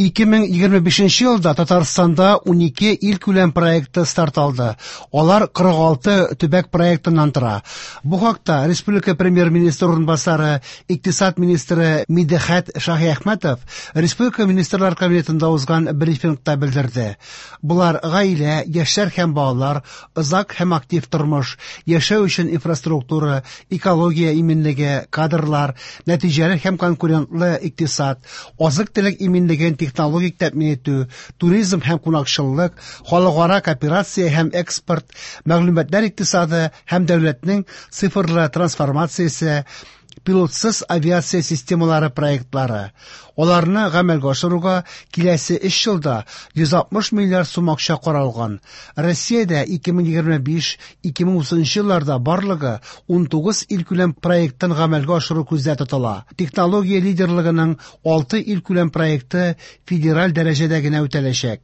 2025 елда Татарстанда 12 илкүләм проекты старт алды. Алар 46 төбәк проектыннан тора. Бу хакта республика премьер-министры урынбасары, икътисад министры Мидхәт Шаһиәхмәтов республика министрлар кабинетында узган брифингта белдерде. Болар гаилә, яшьләр һәм балалар, озак һәм актив тормыш, яшәү өчен инфраструктура, экология иминлеге, кадрлар, нәтиҗәле һәм конкурентлы икътисад, азык-төлек иминлеген технологик тәэмин итү, туризм һәм кунакчыллык, халыкара кооперация һәм экспорт, мәгълүматлар икътисады һәм дәүләтнең цифрлы трансформациясе, пилотсыз авиация системалары проектлары. Аларны гамәлгә ашыруга киләсе 3 елда 160 миллиард сум акча каралган. Россиядә 2025-2030 елларда барлыгы 19 илкүләм проектын гамәлгә ашыру күздә тотыла. Технология лидерлыгының 6 илкүләм проекты федераль дәрәҗәдә генә үтәләчәк.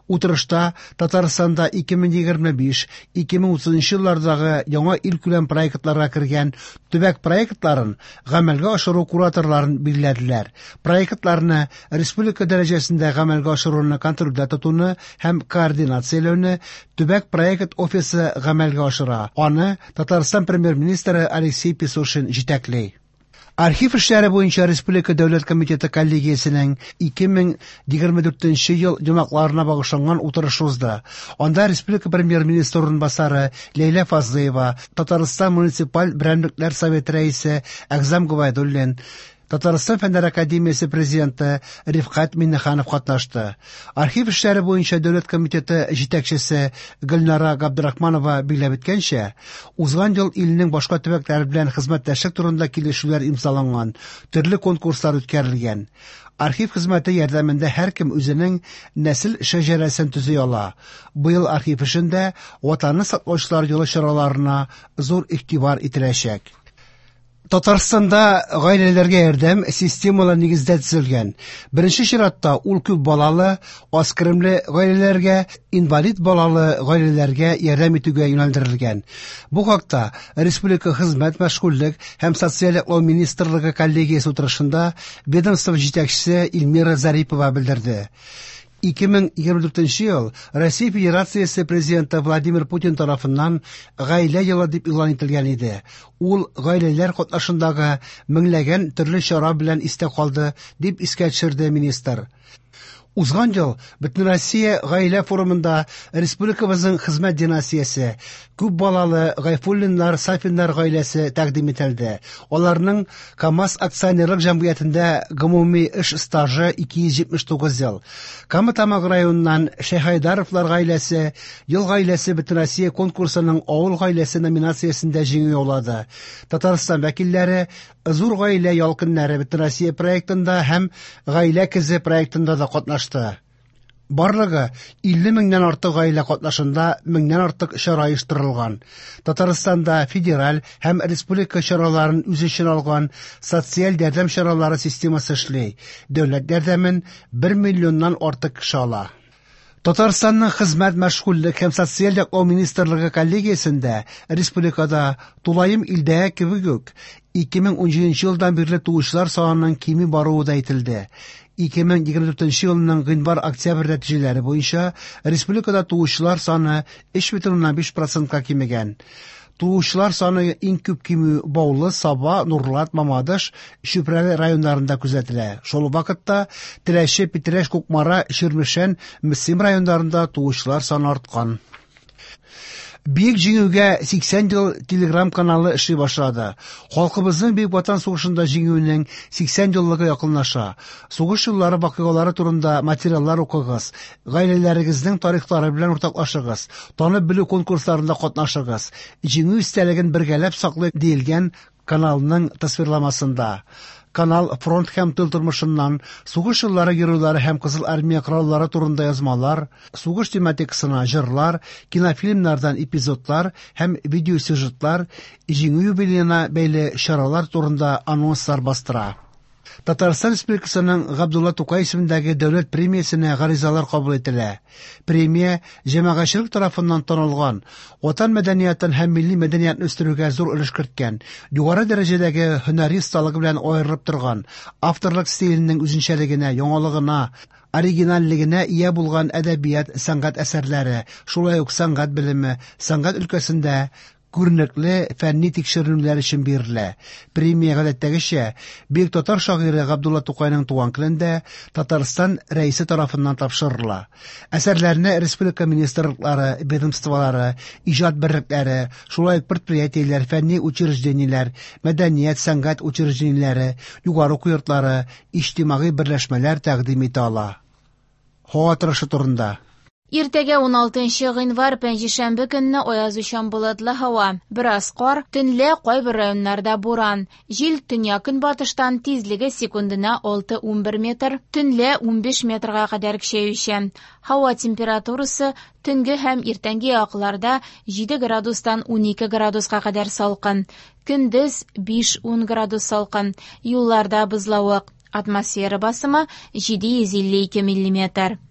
Утырышта Татарстанда 2025-2030 еллардагы яңа илкүләм проектларга кергән төбәк проектларын гамәлгә ашыру кураторларын билгеләделәр. Проектларны республика дәрәҗәсендә гамәлгә ашыруны контрольдә тотуны һәм координацияләүне төбәк проект офисы гамәлгә ашыра. Аны Татарстан премьер-министры Алексей Песошин җитәкли. Архив эшләре буенча Республика дәүләт комитеты коллегиясенең 2024 ел йомгакларына багышланган утырышы узды. Анда Республика премьер-министры урынбасары Ләйлә Фазлыева, Татарстан муниципаль берәмлекләр советы рәисе Әгъзам Гобәйдуллин, Татарстан Фәннәр академиясе президенты Рифкать Миңнеханов катнашты. Архив эшләре буенча дәүләт комитеты җитәкчесе Гөлнара Габдрахманова билгеләп үткәнчә, узган ел илнең башка төбәкләре белән хезмәттәшлек турында килешүләр имзаланган, төрле конкурслар үткәрелгән. Архив хезмәте ярдәмендә һәркем үзенең нәсел шәҗәрәсен төзи ала. Быел архив эшендә Ватанны саклаучылар елы чараларына зур игътибар ителәчәк. Татарстанда гаиләләргә ярдәм системалы нигездә төзелгән. Беренче чиратта ул күп балалы, аз керемле гаиләләргә, инвалид балалы гаиләләргә ярдәм итүгә юнәлдерелгән. Бу хакта Республика хезмәт, мәшгульлек һәм социаль яклау министрлыгы коллегиясе утырышында ведомство җитәкчесе Эльмира Зарипова белдерде. 2024 ел Россия Федерациясе президенты Владимир Путин тарафыннан гаилә елы дип игълан ителгән иде. Ул гаиләләр катнашындагы меңләгән төрле чара белән истә калды, дип искә төшерде министр. Узган ел Бөтенроссия гаилә форумында республикабызның хезмәт династиясе, күп балалы Гайфуллиннар, Сафиннар гаиләсе тәкъдим ителде. Аларның КАМАЗ акционерлык җәмгыятендә гомуми эш стажы 279 ел. Кама Тамагы районыннан Шәйхайдаровлар гаиләсе Ел гаиләсе Бөтенроссия конкурсының Авыл гаиләсе номинациясендә җиңү яулады. Татарстан вәкилләре Зур гаилә ял көннәре Бөтенроссия проектында һәм Гаилә көзе проектында да катнашты. Барлыгы 50 меңнән артык гаилә катнашында меңнән артык чара оештырылган. Татарстанда федераль һәм республика чараларын үз эченә алган социаль ярдәм чаралары системасы эшли. Дәүләт ярдәмен 1 миллионнан артык кеше ала. Татарстанның хезмәт, мәшгульлек һәм социаль яклау министрлыгы коллегиясендә республикада тулаем илдәге кебек үк 2017 елдан бирле туучылар санының кими баруы да әйтелде. 2024 елның гыйнвар-октябрь нәтиҗәләре буенча республикада туучылар саны 3,5 процентка кимегән. Туучылар саны иң күп кимү Баулы, Саба, Нурлат, Мамадыш, Чүпрәле районнарында күзәтелә. Шул ук вакытта Теләче, Питрәч, Кукмара, Чирмешән, Мөслим районнарында туучылар саны арткан. Бөек Җиңүгә 80 ел телеграм-каналы эшли башлады. Халкыбызның Бөек Ватан сугышында җиңүенең 80 еллыгы якынлаша. Сугыш еллары вакыйгалары турында материаллар укыгыз, гаиләләрегезнең тарихлары белән уртаклашыгыз, танып белү конкурсларында катнашыгыз. Җиңү истәлеген бергәләп саклыйк, диелгән каналның тасвирламасында. Канал фронт һәм тыл тормышыннан, сугыш еллары геройлары һәм Кызыл Армия кораллары турында язмалар, сугыш тематикасына җырлар, кинофильмнардан эпизодлар һәм видеосюжетлар, Җиңү юбилеена бәйле чаралар турында анонслар бастыра. Татарстан Республикасының Габдулла Тукай исемендәге дәүләт премиясенә гаризалар кабул ителә. Премия җәмәгатьчелек тарафыннан танылган, ватан мәдәниятын һәм милли мәдәниятне үстерүгә зур өлеш керткән, югары дәрәҗәдәге һөнәри осталыгы белән аерылып торган, авторлык стиленең үзенчәлегенә, яңалыгына, оригинальлегенә ия булган әдәбият, сәнгать әсәрләре, шулай ук сәнгать белеме, сәнгать өлкәсендә күренекле фәнни тикшеренүләр өчен бирелә. Премия гадәттәгечә бөек татар шагыйре Габдулла Тукайның туган көнендә Татарстан Рәисе тарафыннан тапшырыла. Әсәрләрне республика министрлыклары, ведомстволары, иҗат берлекләре, шулай ук предприятиеләр, фәнни учреждениеләр, мәдәният, сәнгать учреждениеләре, югары уку йортлары, иҗтимагый берләшмәләр тәкъдим итә ала. Һава торышы турында. Иртәгә 16 гыйнвар пәнҗешәмбе көнне аязучан болытлы һава, бераз кар, төнлә кайбер районнарда буран. Җил төньяк-көнбатыштан, тизлеге секундына 6-11 метр, төнлә 15 метрга кадәр көчәючән. Һава температурасы төнге һәм иртәнге якларда 7 градустан 12 градуска кадәр салкын. Көндез 5-10 градус салкын. Юлларда бозлавык. Атмосфера басымы 752 миллиметр.